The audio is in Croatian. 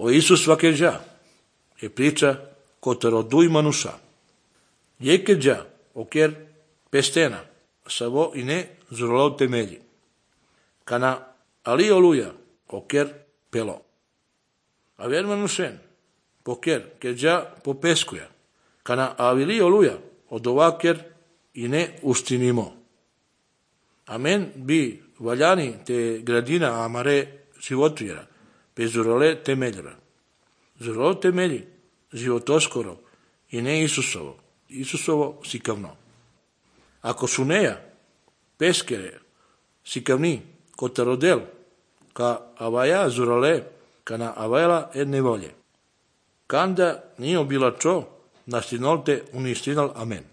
O Isus svake già, e priča cotero dui manusa. Jeke già, oker pestena, savo ine zurolov temelji. Kana ali oluja, oker pelo. A ver manusen, poker, ke già popeskuja. Kana avili oluja, odovaker ine ustinimo. Amen bi valjani te gradina amare životujera, pe zurole temeljera. Zurolo temelji životoskoro i ne Isusovo. Isusovo sikavno. Ako su neja, peskere, sikavni, kotarodel, ka avaja zurole, kana avajala edne volje. Kanda nije bila čo, nastinolte unistinal amen.